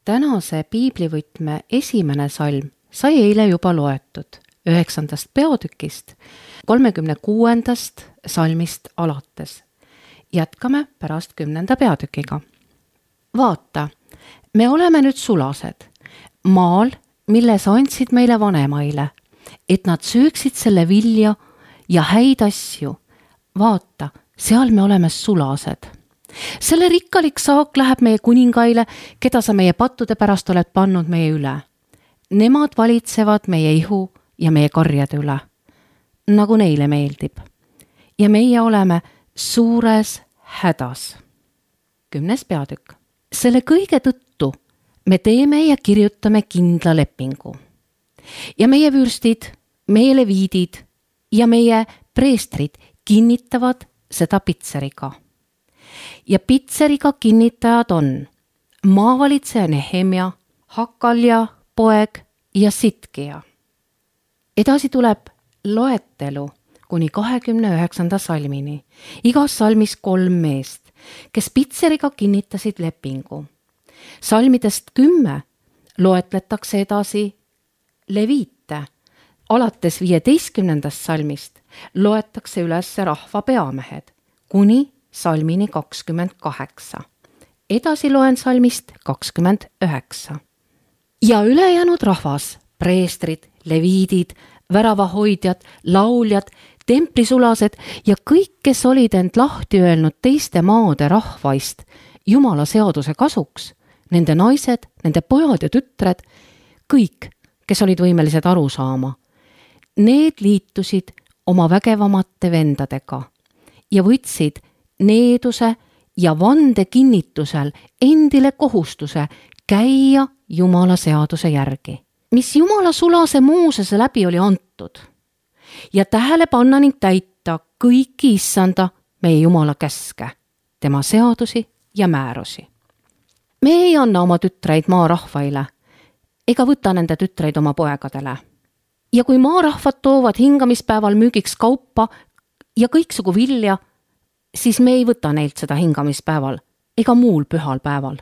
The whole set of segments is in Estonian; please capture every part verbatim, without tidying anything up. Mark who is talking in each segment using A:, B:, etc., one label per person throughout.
A: Tänase piiblivõtme esimene salm sai eile juba loetud üheksandast peatükist, kolmekümne kuuendast salmist alates. Jätkame pärast kümnenda peatükiga. Vaata, me oleme nüüd sulased, maal, mille sa andsid meile vanemaile, et nad sööksid selle vilja ja häid asju. Vaata, seal me oleme sulased. Selle rikkalik saak läheb meie kuningaile, keda sa meie pattude pärast oled pannud meie üle. Nemad valitsevad meie ihu ja meie karjade üle, nagu neile meeldib. Ja meie oleme suures hädas. Kümnes peatükk. Selle kõige tõttu me teeme ja kirjutame kindla lepingu. Ja meie vürstid, meie leviidid ja meie preestrid kinnitavad seda pitseriga. Ja pitseriga kinnitajad on maavalitseja Nehemia, Hakalja poeg ja Sitkija. Edasi tuleb loetelu kuni kahekümne üheksanda salmini. Igas salmis kolm meest, kes pitseriga kinnitasid lepingu. Salmidest kümme loetletakse edasi leviite. Alates viieteistkümnendast salmist loetakse üles rahva peamehed kuni salmini kakskümmend kaheksa. Edasi loen salmist kakskümmend üheksa. Ja ülejäänud rahvas, preestrid, leviidid, väravahoidjad, lauljad, templisulased ja kõik, kes olid end lahti öelnud teiste maade rahvaist Jumala seaduse kasuks, nende naised, nende pojad ja tütred, kõik, kes olid võimelised aru saama, need liitusid oma vägevamate vendadega ja võtsid needuse ja vande kinnitusel endile kohustuse käia Jumala seaduse järgi, mis Jumala sulase Moosese läbi oli antud, ja tähele panna ning täita kõiki issanda meie Jumala käske, tema seadusi ja määrusi. Me ei anna oma tütreid maarahvaile ega võta nende tütreid oma poegadele. Ja kui maarahvad toovad hingamispäeval müügiks kaupa ja kõiksugu vilja, siis me ei võta neilt seda hingamispäeval ega muul pühal päeval.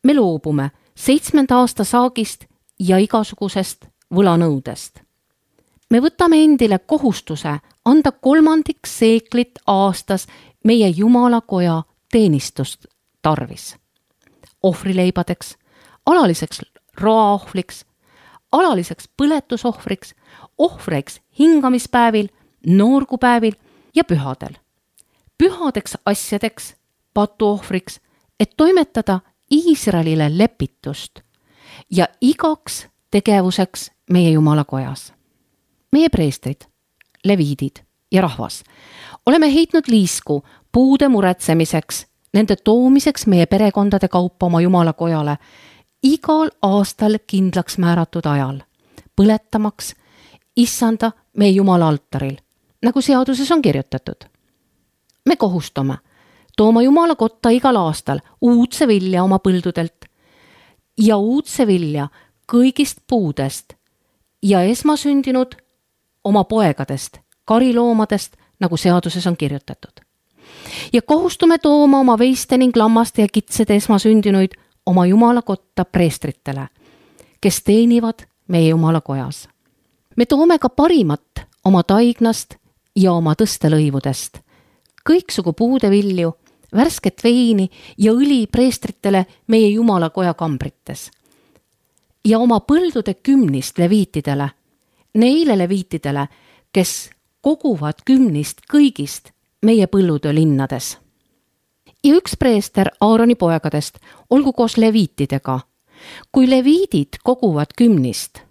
A: Me loobume seitsmenda aasta saagist ja igasugusest võlanõudest. Me võtame endile kohustuse anda kolmandik seeklit aastas meie Jumala koja teenistust tarvis. Ohvrileibadeks, alaliseks roaohvriks, alaliseks põletusohvriks, ohvriks hingamispäevil, noorgupäevil ja pühadel. Pühadeks asjadeks, patuohvriks, et toimetada Iisraelile lepitust ja igaks tegevuseks meie Jumala kojas. Meie preestrid, leviidid ja rahvas oleme heitnud liisku puude muretsemiseks, nende toomiseks meie perekondade kaupa oma Jumala kojale igal aastal kindlaks määratud ajal, põletamaks issanda meie Jumala altaril, nagu seaduses on kirjutatud. Me kohustame tooma Jumala kotta igal aastal uudse vilja oma põldudelt ja uudse vilja kõigist puudest ja esmasündinud oma poegadest, kariloomadest, nagu seaduses on kirjutatud. Ja kohustume tooma oma veiste ning lammaste ja kitsede esmasündinuid oma Jumala kotta preestritele, kes teenivad meie Jumala kojas. Me toome ka parimat oma taignast ja oma tõstelõivudest, kõiksugu puudevilju, värsket veini ja õli preestritele meie Jumala koja kambrites. Ja oma põldude kümnist leviitidele, neile leviitidele, kes koguvad kümnist kõigist meie põllutöö linnades. Ja üks preester Aaroni poegadest olgu koos leviitidega, kui leviidid koguvad kümnist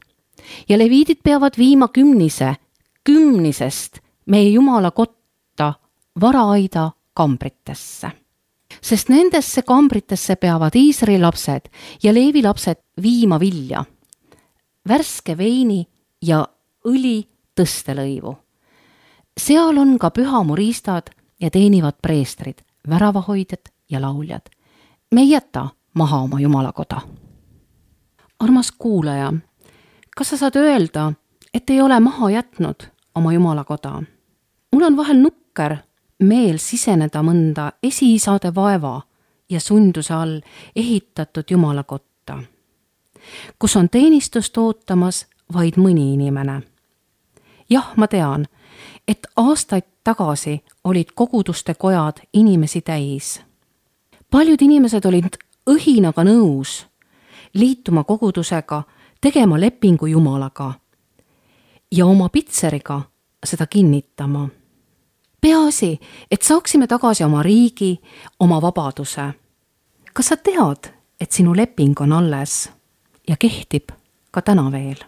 A: ja leviidid peavad viima kümnise, kümnisest meie Jumala kotta varaaida kambritesse. Sest nendesse kambritesse peavad Iisraeli lapsed ja Leevi lapsed viima vilja, värske veini ja õli tõstelõivu. Seal on ka pühamuriistad ja teenivad preestrid, väravahoidjad ja lauljad. Me ei jäta maha oma Jumala koda. Armas kuulaja, kas sa saad öelda, et ei ole maha jätnud oma Jumala koda? Mul on vahel nukker meel siseneda mõnda esiisade vaeva ja sunduse all ehitatud jumalakotta, kus on teenistust ootamas vaid mõni inimene. Jah, ma tean, et aastaid tagasi olid koguduste kojad inimesi täis. Paljud inimesed olid õhinaga nõus liituma kogudusega, tegema lepingu Jumalaga ja oma pitseriga seda kinnitama. Peaasi, et saaksime tagasi oma riigi, oma vabaduse. Kas sa tead, et sinu leping on alles ja kehtib ka täna veel?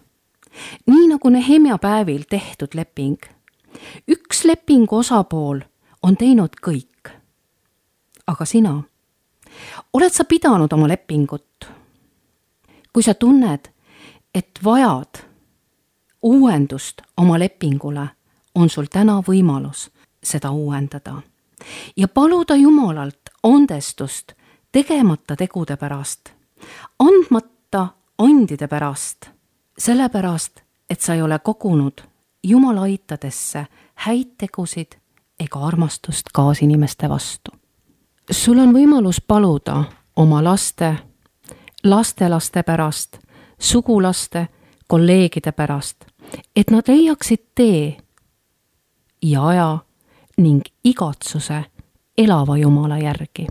A: Nii nagu Nehemia päevil tehtud leping. Üks lepingu osapool on teinud kõik. Aga sina, oled sa pidanud oma lepingut? Kui sa tunned, et vajad uuendust oma lepingule, on sul täna võimalus seda uuendada ja paluda Jumalalt andestust tegemata tegude pärast, andmata andide pärast, sellepärast, et sa ei ole kogunud Jumala aitadesse häid tegusid ega armastust kaasinimeste vastu. Sul on võimalus paluda oma laste, lastelaste pärast, sugulaste, kolleegide pärast, et nad leiaksid tee ja aja ning igatsuse elava Jumala järgi.